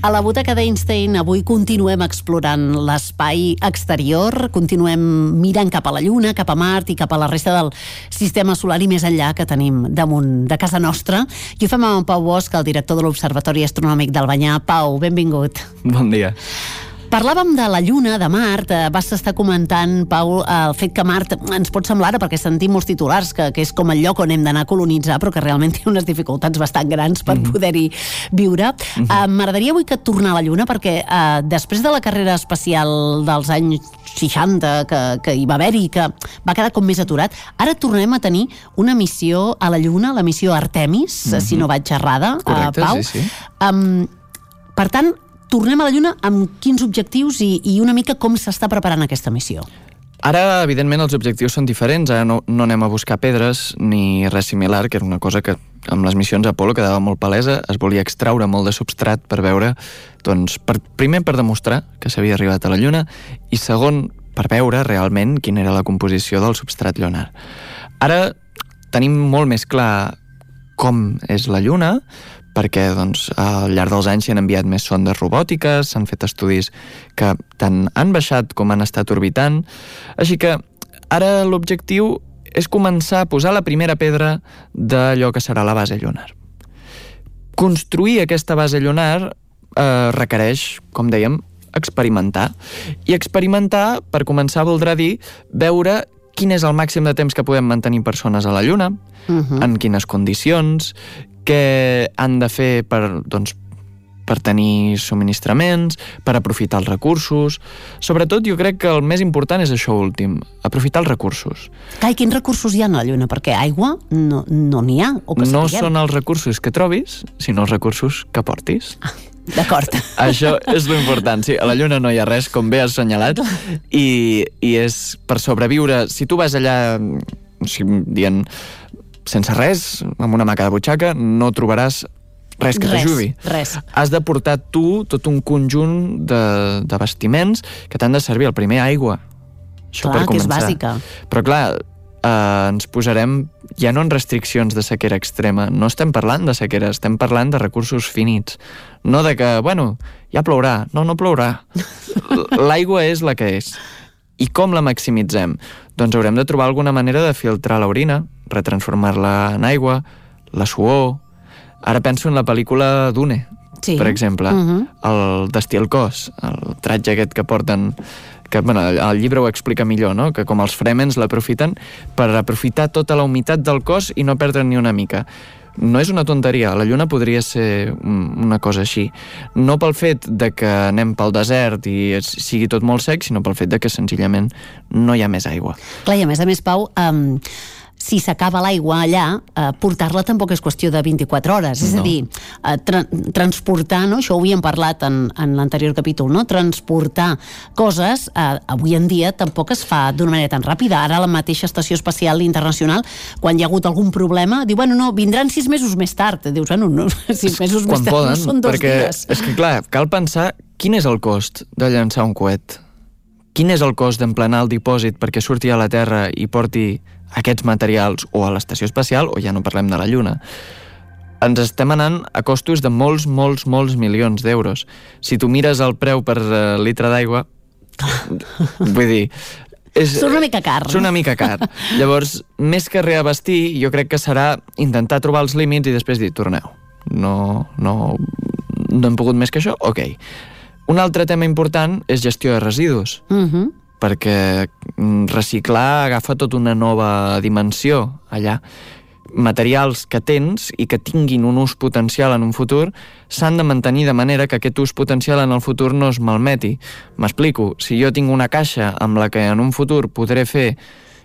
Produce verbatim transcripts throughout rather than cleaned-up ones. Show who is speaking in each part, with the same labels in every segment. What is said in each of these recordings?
Speaker 1: A la Butaca d'Einstein avui continuem explorant l'espai exterior, continuem mirant cap a la Lluna, cap a Mart i cap a la resta del sistema solar i més enllà que tenim damunt de casa nostra. I ho fem amb en Pau Bosch, el director de l'Observatori Astronòmic d'Albanyà. Pau, benvingut.
Speaker 2: Bon dia.
Speaker 1: Parlàvem de la Lluna, de Mart, vas estar comentant, Pau, el fet que Mart ens pot semblar, ara perquè sentim molts titulars, que, que és com el lloc on hem d'anar a colonitzar, però que realment té unes dificultats bastant grans per
Speaker 2: Mm-hmm.
Speaker 1: poder-hi viure.
Speaker 2: Mm-hmm.
Speaker 1: Uh, M'agradaria avui que tornar a la Lluna, perquè uh, després de la carrera espacial dels anys seixanta, que, que hi va haver-hi, que va quedar com més aturat, ara tornem a tenir una missió a la Lluna, la missió Artemis, mm-hmm. si no vaig errada,
Speaker 2: Correcte,
Speaker 1: uh, Pau.
Speaker 2: sí, sí.
Speaker 1: Um, per tant, tornem a la Lluna amb quins objectius i, i una mica com s'està preparant aquesta missió?
Speaker 2: Ara, evidentment, els objectius són diferents. Ara no, no anem a buscar pedres ni res similar, que era una cosa que amb les missions Apolo quedava molt palesa. Es volia extraure molt de substrat per veure, doncs, per, primer per demostrar que s'havia arribat a la Lluna i segon, per veure realment quina era la composició del substrat lunar. Ara tenim molt més clar com és la Lluna, perquè doncs, al llarg dels anys s'hi han enviat més sondes robòtiques, s'han fet estudis que tant han baixat com han estat orbitant, així que ara l'objectiu és començar a posar la primera pedra d'allò que serà la base lunar. Construir aquesta base lunar eh, requereix, com dèiem, experimentar. I experimentar, per començar, voldrà dir veure quin és el màxim de temps que podem mantenir persones a la Lluna, uh-huh. en quines condicions, què han de fer per, doncs, per tenir subministraments, per aprofitar els recursos. Sobretot, jo crec que el més important és això últim, aprofitar els recursos.
Speaker 1: Clar, i quins recursos hi ha a la Lluna? Perquè aigua no no n'hi ha, o que
Speaker 2: no
Speaker 1: sapiguem.
Speaker 2: Són els recursos que trobis, sinó els recursos que portis.
Speaker 1: Ah, d'acord.
Speaker 2: Això és l'important. Sí, a la Lluna no hi ha res, com bé has assenyalat, i, i és per sobreviure. Si tu vas allà, o sigui, dient, sense res, amb una maca de butxaca, no trobaràs res que t'ajudi.
Speaker 1: Res, res.
Speaker 2: Has de portar tu tot un conjunt de, de vestiments que t'han de servir. El primer, aigua. Això
Speaker 1: clar,
Speaker 2: per
Speaker 1: que és
Speaker 2: començar.
Speaker 1: bàsica.
Speaker 2: Però clar, eh, ens posarem ja no en restriccions de sequera extrema. No estem parlant de sequera, estem parlant de recursos finits. No de que, bueno, ja plourà. No, no plourà. L'aigua és la que és. I com la maximitzem? Doncs haurem de trobar alguna manera de filtrar l'orina, retransformar-la en aigua, la suor. Ara penso en la pel·lícula Dune,
Speaker 1: sí.
Speaker 2: per exemple, uh-huh. el destí al cos, el tratge aquest que porten, que bueno, el llibre ho explica millor, no? Que com els Fremens l'aprofiten per aprofitar tota la humitat del cos i no perdre ni una mica. No és una tonteria, la Lluna podria ser una cosa així. No pel fet de que anem pel desert i sigui tot molt sec, sinó pel fet de que senzillament no hi ha més aigua.
Speaker 1: Clar, i a més a més, Pau, um, si s'acaba l'aigua allà, eh, portar-la tampoc és qüestió de vint-i-quatre hores. És no. a dir, eh, tra transportar, no? Això ho havíem parlat en, en l'anterior capítol, no? Transportar coses, eh, avui en dia tampoc es fa d'una manera tan ràpida. Ara la mateixa Estació Espacial Internacional, quan hi ha hagut algun problema, diu, bueno, no, vindran sis mesos més tard. Dius, bueno, no, sis mesos
Speaker 2: quan
Speaker 1: més tard
Speaker 2: poden,
Speaker 1: no són dos
Speaker 2: perquè
Speaker 1: dies.
Speaker 2: És que, clar, cal pensar quin és el cost de llançar un coet. Quin és el cost d'emplenar el dipòsit perquè surti a la Terra i porti aquests materials o a l'estació espacial, o ja no parlem de la Lluna. Ens estem anant a costos de molts, molts, molts milions d'euros. Si tu mires el preu per uh, litre d'aigua, vull dir... És,
Speaker 1: és una mica car.
Speaker 2: És una mica car. Llavors, més que reabastir, jo crec que serà intentar trobar els límits i després dir, torneu. No, no, no hem pogut més que això? Ok. Un altre tema important és gestió de residus.
Speaker 1: Mhm. Uh-huh.
Speaker 2: Perquè reciclar agafa tota una nova dimensió allà. Materials que tens i que tinguin un ús potencial en un futur s'han de mantenir de manera que aquest ús potencial en el futur no es malmeti. M'explico, si jo tinc una caixa amb la que en un futur podré fer,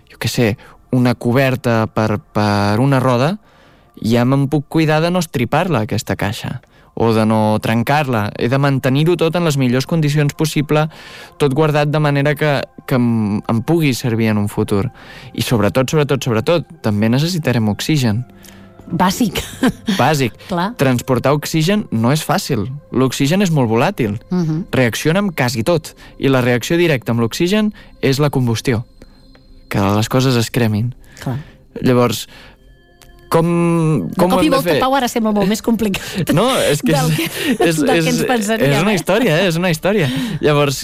Speaker 2: jo què sé, una coberta per, per una roda, ja me'n puc cuidar de no estripar-la, aquesta caixa, o de no trencar-la. He de mantenir-ho tot en les millors condicions possible, tot guardat de manera que, que em, em pugui servir en un futur. I sobretot, sobretot, sobretot, també necessitarem oxigen.
Speaker 1: Bàsic.
Speaker 2: Bàsic.
Speaker 1: Clar.
Speaker 2: Transportar oxigen no és fàcil. L'oxigen és molt volàtil.
Speaker 1: Uh-huh.
Speaker 2: Reacciona amb quasi tot. I la reacció directa amb l'oxigen és la combustió. Que les coses es cremin.
Speaker 1: Clar.
Speaker 2: Llavors, Com, com
Speaker 1: de cop i
Speaker 2: volta,
Speaker 1: fer? Pau, ara sembla molt més complicat
Speaker 2: no, és que
Speaker 1: del que,
Speaker 2: és,
Speaker 1: del
Speaker 2: és,
Speaker 1: que ens pensaríem.
Speaker 2: És una història, eh? és una història. Llavors,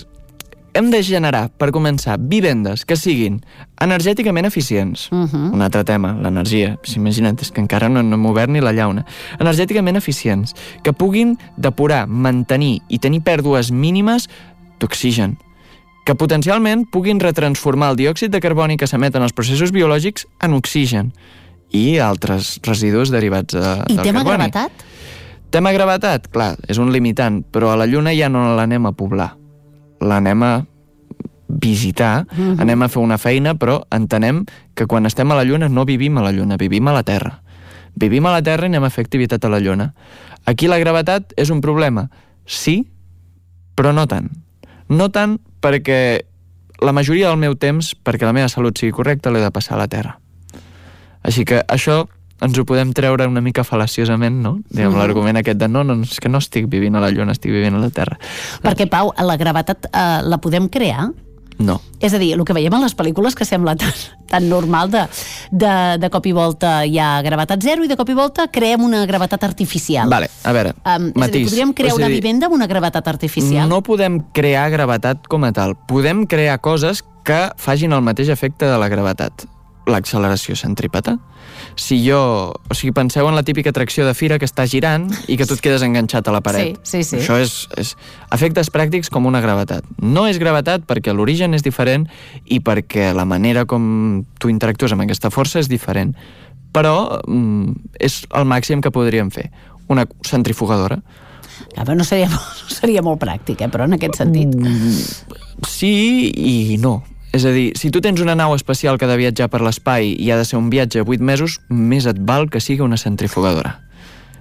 Speaker 2: hem de generar, per començar, vivendes que siguin energèticament eficients. Uh -huh. Un altre tema, l'energia. Imagina't, és que encara no, no hem obert ni la llauna. Energèticament eficients, que puguin depurar, mantenir i tenir pèrdues mínimes d'oxigen, que potencialment puguin retransformar el diòxid de carboni que s'emet en els processos biològics en oxigen i altres residus derivats de,
Speaker 1: I
Speaker 2: del
Speaker 1: tema
Speaker 2: carboni.
Speaker 1: gravetat?
Speaker 2: Tema gravetat, clar, és un limitant, però a la Lluna ja no l'anem a poblar. L'anem a visitar, uh-huh. anem a fer una feina, però entenem que quan estem a la Lluna no vivim a la Lluna, vivim a la Terra. Vivim a la Terra i anem a fer activitat a la Lluna. Aquí la gravetat és un problema, sí, però no tant. No tant perquè la majoria del meu temps, perquè la meva salut sigui correcta, l'he de passar a la Terra. Així que això ens ho podem treure una mica fal·laciosament, no? Diguem, mm. l'argument aquest de no, no, és que no estic vivint a la Lluna, estic vivint a la Terra.
Speaker 1: Perquè, Pau, la gravetat eh, la podem crear?
Speaker 2: No.
Speaker 1: És a dir, el que veiem en les pel·lícules que sembla tan, tan normal, de, de, de cop i volta hi ha gravetat zero i de cop i volta creem una gravetat artificial.
Speaker 2: Vale, a veure,
Speaker 1: um,
Speaker 2: matís.
Speaker 1: És a dir, podríem crear una vivenda amb una gravetat artificial?
Speaker 2: No podem crear gravetat com a tal. Podem crear coses que facin el mateix efecte de la gravetat. L'acceleració centrípeta. Si jo... O sigui, penseu en la típica atracció de fira que està girant i que tu et quedes enganxat a la paret.
Speaker 1: Sí, sí, sí.
Speaker 2: Això és, és efectes pràctics com una gravetat. No és gravetat perquè l'origen és diferent i perquè la manera com tu interactues amb aquesta força és diferent. Però mm, és el màxim que podríem fer. Una centrifugadora.
Speaker 1: Ja, però no seria, no seria molt pràctic, eh? Però en aquest sentit.
Speaker 2: Mm, sí i no. És a dir, si tu tens una nau espacial que ha de viatjar per l'espai i ha de ser un viatge a vuit mesos, més et val que sigui una centrifugadora.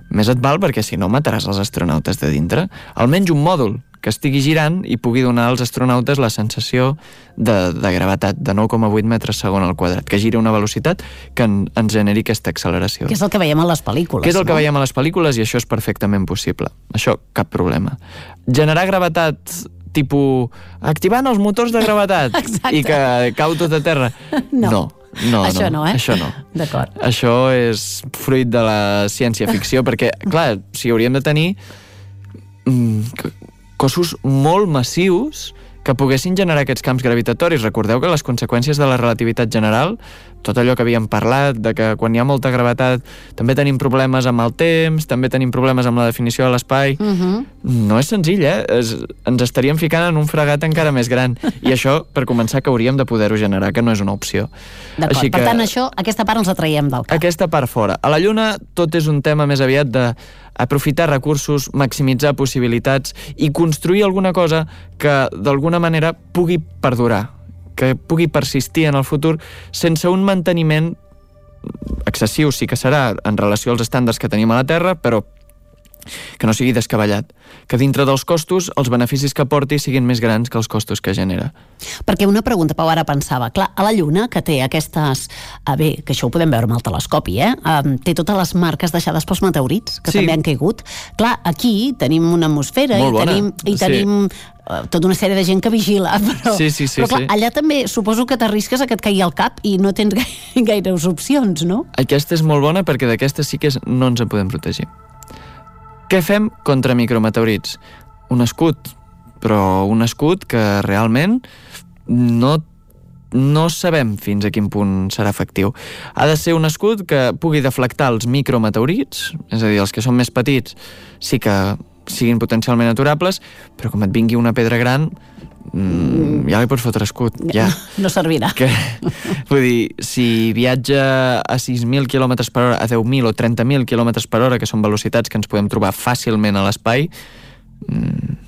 Speaker 2: Més et val perquè si no mataràs els astronautes de dintre. Almenys un mòdul que estigui girant i pugui donar als astronautes la sensació de, de gravetat, de nou coma vuit metres segon al quadrat, que giri a una velocitat que en, ens generi aquesta acceleració.
Speaker 1: Que és el que veiem a les pel·lícules.
Speaker 2: Que és el
Speaker 1: no?
Speaker 2: que veiem a les pel·lícules i això és perfectament possible. Això, cap problema. Generar gravetat tipus activant els motors de gravetat i que cau tot a terra.
Speaker 1: No.
Speaker 2: No. No,
Speaker 1: això no,
Speaker 2: no,
Speaker 1: eh?
Speaker 2: Això no.
Speaker 1: D'acord.
Speaker 2: Això és fruit de la ciència-ficció, perquè, clar, si hauríem de tenir mm, cossos molt massius que poguessin generar aquests camps gravitatoris. Recordeu que les conseqüències de la relativitat general, tot allò que havíem parlat, de que quan hi ha molta gravetat també tenim problemes amb el temps, també tenim problemes amb la definició de l'espai. Uh-huh. No és senzill, eh? Es, ens estaríem ficant en un fregat encara més gran. I això, per començar, que hauríem de poder-ho generar, que no és una opció.
Speaker 1: D'acord, Així que, per tant, això, aquesta part ens la traiem del cap.
Speaker 2: Aquesta part fora. A la Lluna tot és un tema més aviat de aprofitar recursos, maximitzar possibilitats i construir alguna cosa que d'alguna manera pugui perdurar, que pugui persistir en el futur sense un manteniment excessiu, sí que serà en relació als estàndards que tenim a la Terra, però que no sigui descabellat, que dintre dels costos els beneficis que porti siguin més grans que els costos que genera.
Speaker 1: Perquè una pregunta, Pau, ara pensava, clar, a la Lluna, que té aquestes... Ah, bé, que això ho podem veure amb el telescopi, eh? Um, té totes les marques deixades pels meteorits, que sí. també han caigut. Clar, aquí tenim una atmosfera
Speaker 2: Molt
Speaker 1: i
Speaker 2: bona.
Speaker 1: tenim... I tenim sí. uh, tota una sèrie de gent que vigila, però,
Speaker 2: sí, sí, sí,
Speaker 1: però clar,
Speaker 2: sí.
Speaker 1: allà també suposo que t'arrisques a que et caigui al cap i no tens gaire, gaires opcions, no?
Speaker 2: Aquesta és molt bona perquè d'aquesta sí que és, no ens en podem protegir. Què fem contra micrometeorits? Un escut, però un escut que realment no, no sabem fins a quin punt serà efectiu. Ha de ser un escut que pugui deflectar els micrometeorits, és a dir, els que són més petits, sí que siguin potencialment aturables, però com et vingui una pedra gran, mm, ja li pots fotre escut. Ja.
Speaker 1: No, no servirà.
Speaker 2: Que, vull dir, si viatja a sis mil quilòmetres per hora, a deu mil o trenta mil quilòmetres per hora, que són velocitats que ens podem trobar fàcilment a l'espai, mm,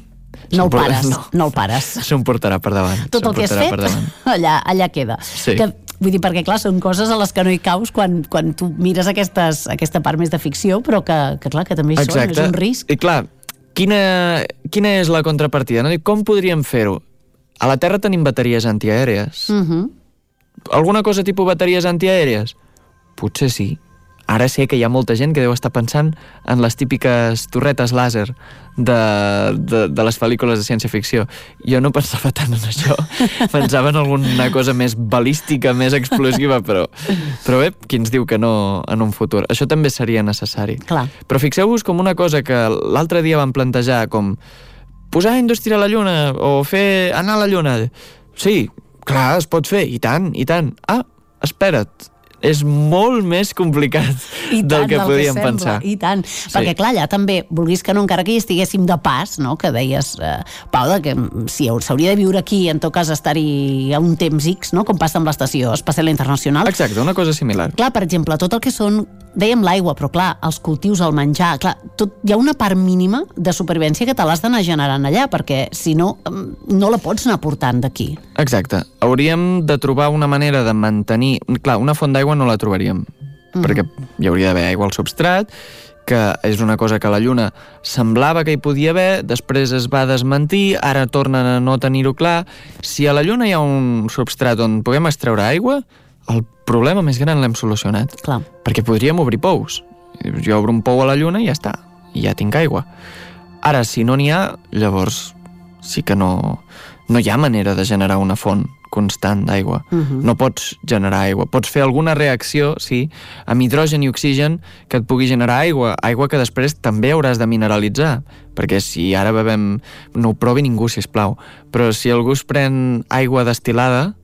Speaker 1: no el pares, no, no el pares.
Speaker 2: S'ho portarà per davant.
Speaker 1: Tot el que has fet, allà, allà queda.
Speaker 2: Sí.
Speaker 1: Que, vull dir, perquè clar, són coses a les que no hi caus quan, quan tu mires aquestes, aquesta part més de ficció, però que, que clar, que també hi són, és un risc.
Speaker 2: I clar, quina, quina és la contrapartida? No? Com podríem fer-ho? A la Terra tenim bateries antiaèries.
Speaker 1: Uh-huh.
Speaker 2: Alguna cosa tipus bateries antiaèries? Potser sí. Ara sé que hi ha molta gent que deu estar pensant en les típiques torretes làser de, de, de les pel·lícules de ciència-ficció. Jo no pensava tant en això. Pensava en alguna cosa més balística, més explosiva, però, però bé, qui ens diu que no en un futur? Això també seria necessari.
Speaker 1: Clar.
Speaker 2: Però fixeu-vos com una cosa que l'altre dia vam plantejar, com posar indústria a la Lluna o fer anar a la Lluna. Sí, clar, es pot fer, i tant, i tant. Ah, espera't, és molt més complicat
Speaker 1: I
Speaker 2: del
Speaker 1: tant,
Speaker 2: que
Speaker 1: del
Speaker 2: podíem
Speaker 1: que
Speaker 2: pensar.
Speaker 1: I tant,
Speaker 2: Sí.
Speaker 1: perquè clar, allà també, vulguis que no, encara que hi estiguéssim de pas, no? Que deies, eh, Pau, de que si s'hauria de viure aquí, en tot cas estar-hi a un temps X, no? Com passa amb l'Estació Espacial Internacional.
Speaker 2: Exacte, una cosa similar.
Speaker 1: Clar, per exemple, tot el que són, dèiem l'aigua, però clar, els cultius, el menjar, clar, tot, hi ha una part mínima de supervivència que te l'has d'anar generant allà, perquè si no, no la pots anar portant d'aquí.
Speaker 2: Exacte. Hauríem de trobar una manera de mantenir... Clar, una font d'aigua no la trobaríem, mm. perquè hi hauria d'haver aigua al substrat, que és una cosa que a la Lluna semblava que hi podia haver, després es va desmentir, ara tornen a no tenir-ho clar. Si a la Lluna hi ha un substrat on puguem extreure aigua, el problema més gran l'hem solucionat.
Speaker 1: Clar.
Speaker 2: Perquè podríem obrir pous. Jo obro un pou a la Lluna i ja està, i ja tinc aigua. Ara, si no n'hi ha, llavors sí que no, no hi ha manera de generar una font constant d'aigua. Uh-huh. No pots generar aigua. Pots fer alguna reacció, sí, amb hidrogen i oxigen que et pugui generar aigua. Aigua que després també hauràs de mineralitzar. Perquè si ara bevem... No ho provi ningú, sisplau. Però si algú es pren aigua destil·lada,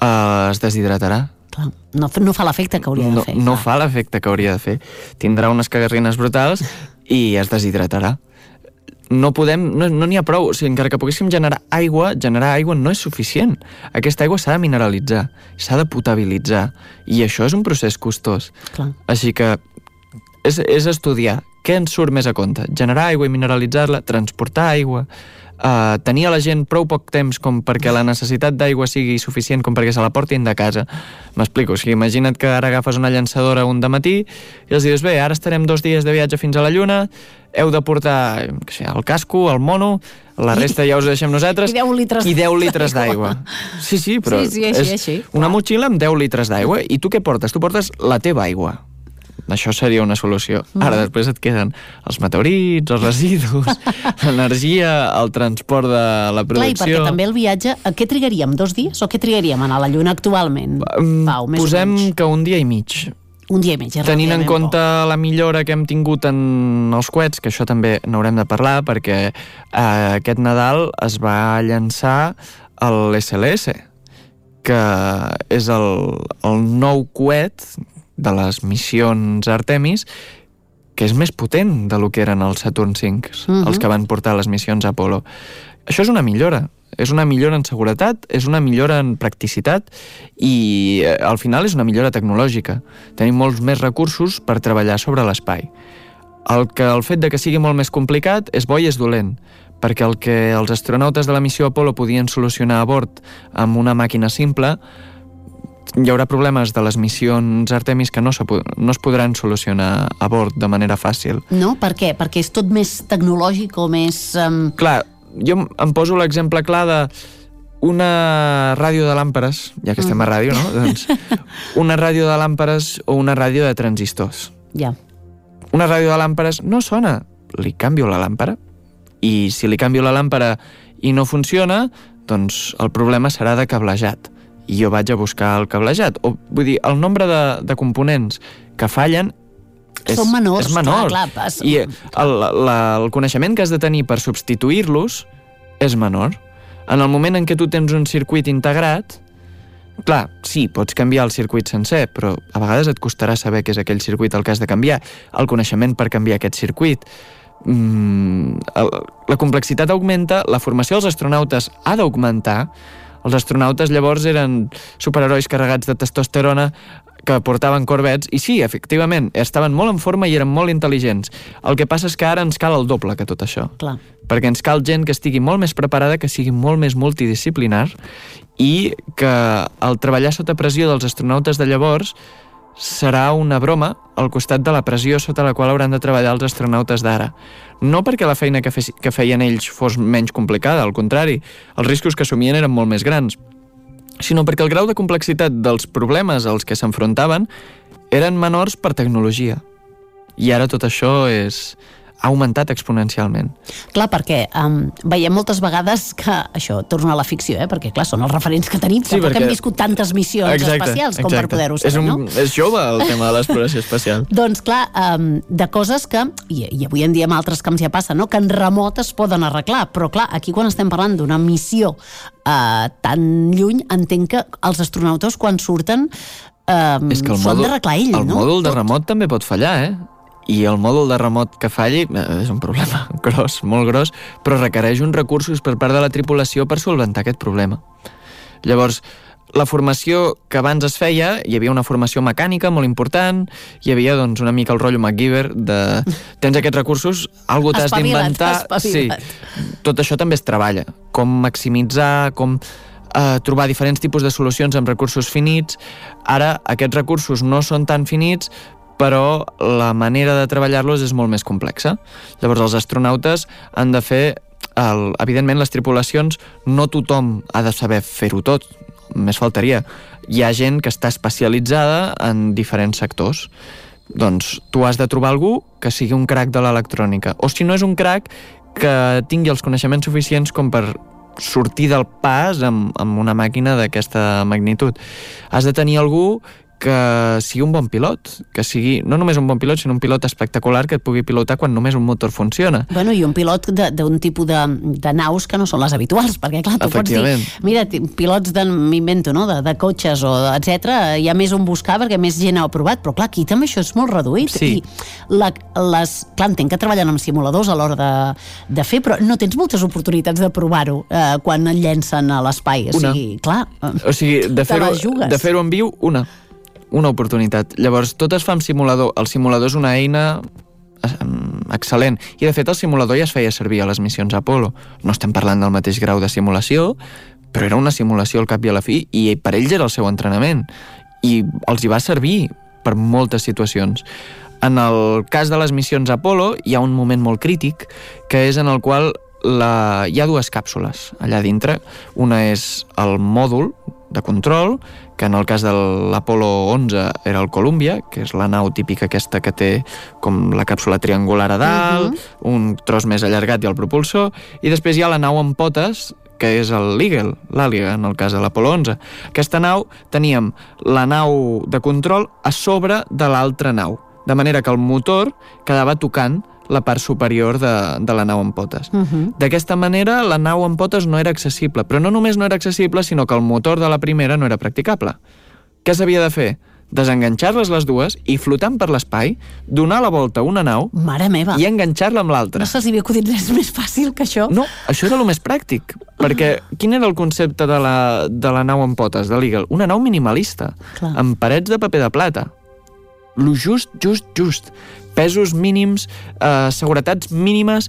Speaker 2: eh, es deshidratarà.
Speaker 1: Clar. No, no fa l'efecte que hauria de
Speaker 2: no,
Speaker 1: fer.
Speaker 2: No
Speaker 1: clar.
Speaker 2: fa l'efecte que hauria de fer. Tindrà unes cagarrines brutals i es deshidratarà. No podem, no n'hi no ha prou. O sigui, encara que poguéssim generar aigua, generar aigua no és suficient. Aquesta aigua s'ha de mineralitzar, s'ha de potabilitzar, i això és un procés costós.
Speaker 1: Clar.
Speaker 2: Així que és, és estudiar què ens surt més a compte. Generar aigua i mineralitzar-la, transportar aigua, Uh, tenir a la gent prou poc temps com perquè la necessitat d'aigua sigui suficient com perquè se la portin de casa. M'explico, o sigui, imagina't que ara agafes una llançadora un dematí i els dius, bé, ara estarem dos dies de viatge fins a la Lluna, heu de portar que sé, el casco, el mono, la resta ja us ho deixem nosaltres,
Speaker 1: I deu litres
Speaker 2: i deu litres d'aigua. Sí, sí, però
Speaker 1: sí, sí, així,
Speaker 2: és
Speaker 1: així.
Speaker 2: una motxilla amb deu litres d'aigua. I tu què portes? Tu portes la teva aigua. Això seria una solució. Ara, després et queden els meteorits, els residus, l'energia, el transport de la producció...
Speaker 1: Clar, i perquè també el viatge... A què trigaríem? Dos dies? O què trigaríem a anar a la Lluna actualment? Pau, més
Speaker 2: Posem
Speaker 1: o menys.
Speaker 2: que un dia i mig.
Speaker 1: Un dia i mig.
Speaker 2: Tenint en compte poc. La millora que hem tingut en els coets, que això també n'haurem de parlar, perquè eh, aquest Nadal es va llançar l'S L S, que és el, el nou coet de les missions Artemis, que és més potent de lo que eren els Saturn cinc, uh-huh. els que van portar les missions Apollo. Això és una millora. És una millora en seguretat, és una millora en practicitat i eh, al final és una millora tecnològica. Tenim molts més recursos per treballar sobre l'espai. El, que, el fet de que sigui molt més complicat és bo i és dolent, perquè el que els astronautes de la missió Apollo podien solucionar a bord amb una màquina simple, hi haurà problemes de les missions Artemis que no, se, no es podran solucionar a bord de manera fàcil.
Speaker 1: No? Per què? Perquè és tot més tecnològic o més... Um...
Speaker 2: Clar, jo em poso l'exemple clar de una ràdio de làmperes, ja que estem a ràdio, no? Doncs una ràdio de làmperes o una ràdio de transistors.
Speaker 1: Ja.
Speaker 2: Una ràdio de làmperes no sona, li canvio la làmpara, i si li canvio la làmpara i no funciona, doncs el problema serà de cablejat. I jo vaig a buscar el cablejat. O, vull dir, el nombre de, de components que fallen és,
Speaker 1: són menors,
Speaker 2: és menor.
Speaker 1: Clar, clar, pas...
Speaker 2: I el, la, el coneixement que has de tenir per substituir-los és menor. En el moment en què tu tens un circuit integrat, clar, sí, pots canviar el circuit sencer, però a vegades et costarà saber què és aquell circuit el que has de canviar. El coneixement per canviar aquest circuit. Mm, el, la complexitat augmenta, la formació dels astronautes ha d'augmentar. Els astronautes llavors eren superherois carregats de testosterona que portaven corbets, i sí, efectivament, estaven molt en forma i eren molt intel·ligents. El que passa és que ara ens cal el doble que tot això.
Speaker 1: Clar.
Speaker 2: Perquè ens cal gent que estigui molt més preparada, que sigui molt més multidisciplinar, i que el treballar sota pressió dels astronautes de llavors serà una broma al costat de la pressió sota la qual hauran de treballar els astronautes d'ara. No perquè la feina que, fe, que feien ells fos menys complicada, al contrari, els riscos que assumien eren molt més grans, sinó perquè el grau de complexitat dels problemes als que s'enfrontaven eren menors per tecnologia. I ara tot això és... ha augmentat exponencialment.
Speaker 1: Clar, perquè um, veiem moltes vegades que això torna a la ficció, eh? Perquè clar, són els referents que tenim, sí, tampoc perquè... hem viscut tantes missions exacte, espacials com exacte. Per poder-ho saber,
Speaker 2: és un,
Speaker 1: no?
Speaker 2: És jove el tema de l'exploració espacial.
Speaker 1: Doncs clar, um, de coses que, i, i avui en dia amb altres camps ja passa, no? Que en remot es poden arreglar, però clar, aquí quan estem parlant d'una missió uh, tan lluny, entenc que els astronautes quan surten um,
Speaker 2: és que el
Speaker 1: són
Speaker 2: mòdul,
Speaker 1: d'arreglar ell,
Speaker 2: el
Speaker 1: no?
Speaker 2: El mòdul de
Speaker 1: Tot.
Speaker 2: remot també pot fallar, eh? I el mòdul de remot que falli és un problema gros, molt gros, però requereix uns recursos per part de la tripulació per solventar aquest problema. Llavors, la formació que abans es feia, hi havia una formació mecànica molt important, hi havia doncs, una mica el rotllo MacGyver de tens aquests recursos, algú t'has d'inventar. Sí, tot això també es treballa. Com maximitzar, com eh, trobar diferents tipus de solucions amb recursos finits. Ara, aquests recursos no són tan finits, però la manera de treballar-los és molt més complexa. Llavors, els astronautes han de fer... El, evidentment, les tripulacions, no tothom ha de saber fer-ho tot, més faltaria. Hi ha gent que està especialitzada en diferents sectors. Doncs tu has de trobar algú que sigui un crac de l'electrònica, o si no és un crac, que tingui els coneixements suficients com per sortir del pas amb, amb una màquina d'aquesta magnitud. Has de tenir algú que sigui un bon pilot, que sigui no només un bon pilot, sinó un pilot espectacular que et pugui pilotar quan només un motor funciona.
Speaker 1: Bueno, i un pilot d'un tipus de, de naus que no són les habituals, perquè clar, tu pots dir, mira, pilots de, m'invento, no?, de, de cotxes o etcètera, hi ha més on buscar perquè més gent ha provat, però clar, aquí també això és molt reduït.
Speaker 2: Sí.
Speaker 1: I la, les, clar, entenc que treballen amb simuladors a l'hora de, de fer, però no tens moltes oportunitats de provar-ho eh, quan et llencen a l'espai. O sigui, clar,
Speaker 2: o sigui, de fer-ho de fer-ho en viu, una una oportunitat. Llavors, tot es fa amb simulador. El simulador és una eina excel·lent. I, de fet, el simulador ja es feia servir a les missions Apollo. No estem parlant del mateix grau de simulació, però era una simulació al cap i a la fi, i per ells era el seu entrenament. I els hi va servir per moltes situacions. En el cas de les missions Apollo, hi ha un moment molt crític, que és en el qual la... hi ha dues càpsules allà dintre. Una és el mòdul de control, que en el cas de l'Apollo onze era el Columbia, que és la nau típica aquesta que té com la càpsula triangular a dalt, uh-huh. un tros més allargat i el propulsor, i després hi ha la nau amb potes, que és l'Eagle, l'Àliga, en el cas de l'Apollo onze. Aquesta nau, teníem la nau de control a sobre de l'altra nau, de manera que el motor quedava tocant la part superior de, de la nau amb potes. Uh-huh. D'aquesta manera, la nau amb potes no era accessible, però no només no era accessible, sinó que el motor de la primera no era practicable. Què s'havia de fer? Desenganxar-les les dues i, flotant per l'espai, donar la volta a una nau
Speaker 1: Mare meva.
Speaker 2: I enganxar-la amb l'altra.
Speaker 1: No se'ls havia acudit res més fàcil que això?
Speaker 2: No, això era el més pràctic, perquè quin era el concepte de la, de la nau amb potes, de l'Eagle? Una nau minimalista, Clar. amb parets de paper de plata. Lo just, just, just. Pesos mínims, eh, seguretats mínimes,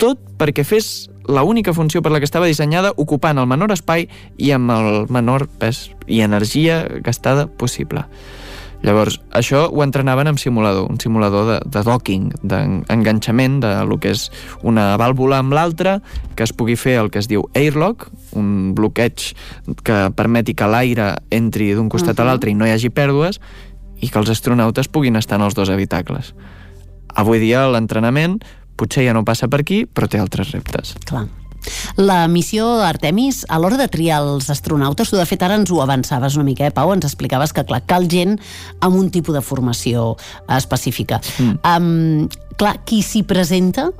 Speaker 2: tot perquè fes la única funció per la que estava dissenyada, ocupant el menor espai i amb el menor pes i energia gastada possible. Llavors, això ho entrenaven amb simulador, un simulador de, de docking, d'enganxament de lo que és una vàlvula amb l'altra, que es pugui fer el que es diu airlock, un bloqueig que permeti que l'aire entri d'un costat uh-huh. a l'altre i no hi hagi pèrdues, i que els astronautes puguin estar en els dos habitacles. Avui dia l'entrenament potser ja no passa per aquí, però té altres reptes.
Speaker 1: Clar. La missió Artemis, a l'hora de triar els astronautes, tu de fet ara ens ho avançaves una mica, eh, Pau? Ens explicaves que, clar, cal gent amb un tipus de formació específica. Mm. Um, clar, qui s'hi presenta,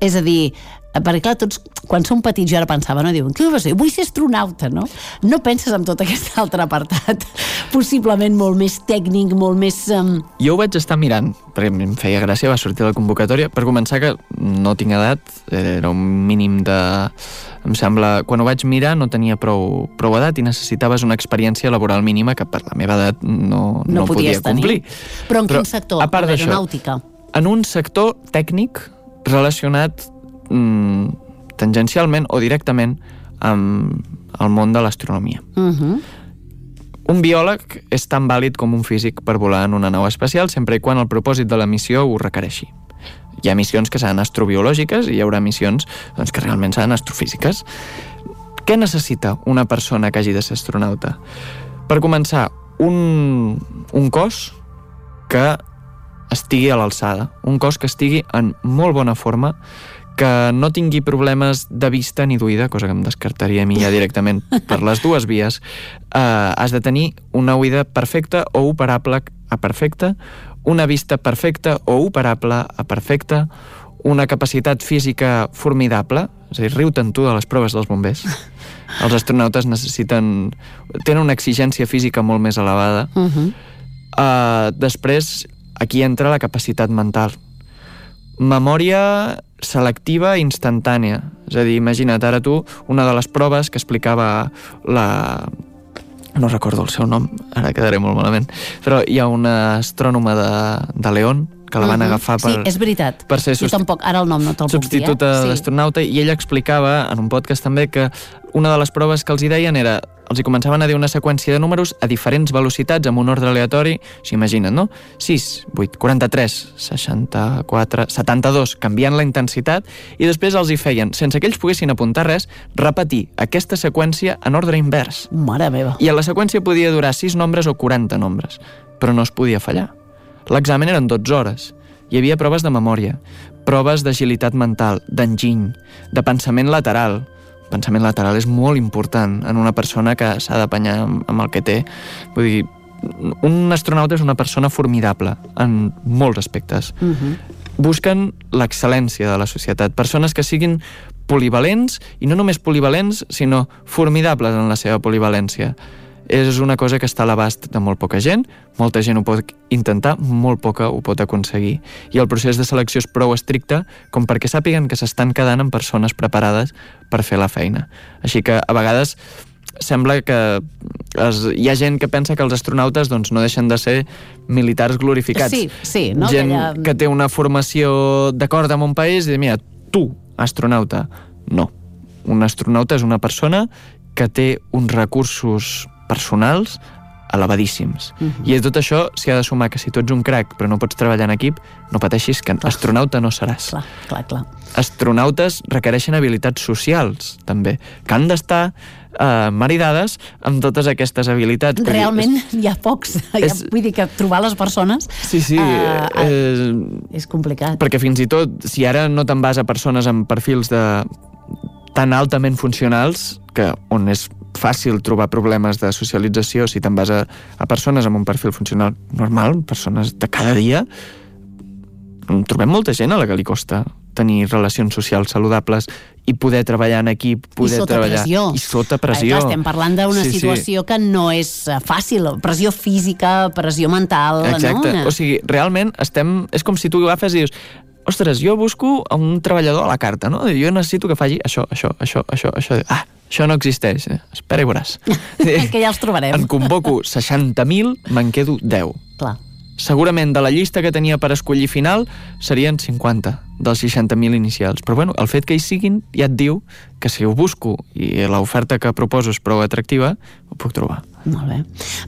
Speaker 1: és a dir, perquè clar, tots, quan som petits, jo ara pensava, no? Diuen, què vas dir? Vull ser astronauta, no? No penses en tot aquest altre apartat, possiblement molt més tècnic, molt més... Um...
Speaker 2: Jo ho vaig estar mirant, perquè em feia gràcia, va sortir la convocatòria. Per començar, que no tinc edat, era un mínim de... Em sembla, quan ho vaig mirar no tenia prou, prou edat i necessitaves una experiència laboral mínima que per la meva edat no, no, no podia complir.
Speaker 1: Tenir. Però en Però, quin sector?
Speaker 2: A part
Speaker 1: d'aeronàutica?
Speaker 2: En un sector tècnic relacionat mm, tangencialment o directament amb el món de l'astronomia. Uh-huh. Un biòleg és tan vàlid com un físic per volar en una nau espacial, sempre i quan el propòsit de la missió ho requereixi. Hi ha missions que seran astrobiològiques i hi haurà missions doncs, que realment seran astrofísiques. Què necessita una persona que hagi de ser astronauta? Per començar, un, un cos que estigui a l'alçada, un cos que estigui en molt bona forma, que no tingui problemes de vista ni d'oïda, cosa que em descartaria a mi ja directament per les dues vies. Uh, has de tenir una oïda perfecta o operable a perfecta, una vista perfecta o operable a perfecta, una capacitat física formidable, és a dir, riu-te'n tu de les proves dels bombers. Els astronautes necessiten... tenen una exigència física molt més elevada. Uh-huh. Uh, després, aquí entra la capacitat mental. Memòria selectiva instantània. És a dir, imagina't ara tu una de les proves que explicava la... no recordo el seu nom, ara quedaré molt malament, però hi ha una astrònoma de, de León que la van uh-huh. agafar per...
Speaker 1: Sí, és veritat.
Speaker 2: Per ser
Speaker 1: jo tampoc, ara el nom no te'l puc dir.
Speaker 2: Substituta
Speaker 1: eh?
Speaker 2: d'astronauta, i ella explicava en un podcast també que una de les proves que els hi deien era, els hi començaven a dir una seqüència de números a diferents velocitats, amb un ordre aleatori, si imaginen, no? sis, vuit, quaranta-tres, seixanta-quatre, setanta-dos, canviant la intensitat, i després els hi feien, sense que ells poguessin apuntar res, repetir aquesta seqüència en ordre invers.
Speaker 1: Mare meva.
Speaker 2: I a la seqüència podia durar sis nombres o quaranta nombres, però no es podia fallar. L'examen eren dotze hores. Hi havia proves de memòria, proves d'agilitat mental, d'enginy, de pensament lateral. Pensament lateral és molt important en una persona que s'ha d'apanyar amb el que té. Vull dir, un astronauta és una persona formidable en molts aspectes. Uh-huh. Busquen l'excel·lència de la societat, persones que siguin polivalents, i no només polivalents, sinó formidables en la seva polivalència. És una cosa que està a l'abast de molt poca gent, molta gent ho pot intentar, molt poca ho pot aconseguir. I el procés de selecció és prou estricte com perquè sàpiguen que s'estan quedant amb persones preparades per fer la feina. Així que a vegades sembla que es, hi ha gent que pensa que els astronautes doncs, no deixen de ser militars glorificats.
Speaker 1: Sí, sí, no?
Speaker 2: Gent
Speaker 1: que, ella...
Speaker 2: que té una formació d'acord amb un país i dir, mira, tu, astronauta. No. Un astronauta és una persona que té uns recursos personals elevadíssims. Uh-huh. I a tot això s'hi ha de sumar que si tu ets un crac però no pots treballar en equip, no pateixis, que clar. Astronauta no seràs.
Speaker 1: Clar, clar, clar.
Speaker 2: Astronautes requereixen habilitats socials, també, que han d'estar eh, maridades amb totes aquestes habilitats.
Speaker 1: Realment és, hi ha pocs. És, vull dir que trobar les persones...
Speaker 2: Sí, sí.
Speaker 1: Uh,
Speaker 2: és,
Speaker 1: és complicat.
Speaker 2: Perquè fins i tot, si ara no te'n vas a persones amb perfils de tan altament funcionals, que on és fàcil trobar problemes de socialització, si te'n vas a, a persones amb un perfil funcional normal, persones de cada dia, trobem molta gent a la que li costa tenir relacions socials saludables i poder treballar en equip, poder
Speaker 1: I sota
Speaker 2: treballar...
Speaker 1: pressió.
Speaker 2: I sota pressió.
Speaker 1: Ai, clar, estem parlant d'una
Speaker 2: sí,
Speaker 1: situació
Speaker 2: sí.
Speaker 1: que no és fàcil. Pressió física, pressió mental...
Speaker 2: Exacte.
Speaker 1: No?
Speaker 2: O sigui, realment estem... És com si tu agafes i dius, ostres, jo busco un treballador a la carta, no? Jo necessito que faci això, això, això, això, això... Ah, això no existeix. Espera i veuràs.
Speaker 1: Que ja els trobarem.
Speaker 2: En convoco seixanta mil, me'n quedo deu.
Speaker 1: Clar.
Speaker 2: Segurament de la llista que tenia per escollir final serien cinquanta dels seixanta mil inicials. Però bueno, el fet que hi siguin ja et diu que si ho busco i l'oferta que proposo és prou atractiva, ho puc trobar.
Speaker 1: Molt bé.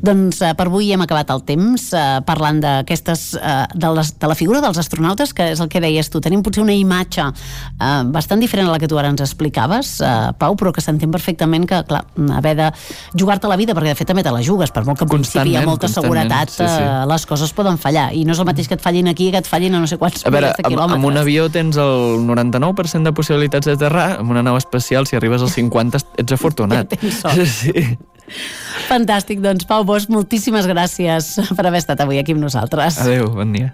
Speaker 1: Doncs eh, per avui hem acabat el temps eh, parlant d'aquestes eh, de, les, de la figura dels astronautes, que és el que deies tu. Tenim potser una imatge eh, bastant diferent a la que tu ara ens explicaves, eh, Pau, però que s'entén perfectament que, clar, haver de jugar-te la vida, perquè de fet també te la jugues, per molt que en principi hi ha molta seguretat, sí, sí. Eh, les coses poden fallar. I no és el mateix que et fallin aquí que et fallin a no sé quants
Speaker 2: a veure,
Speaker 1: milers de quilòmetres.
Speaker 2: Amb un avió tens el noranta-nou per cent de possibilitats d'aterrar, amb una nau espacial, si arribes als cinquanta, ets afortunat.
Speaker 1: Ja tens sort.
Speaker 2: Sí.
Speaker 1: Fantàstic, doncs Pau Bosch, moltíssimes gràcies per haver estat avui aquí amb nosaltres.
Speaker 2: Adéu, bon dia.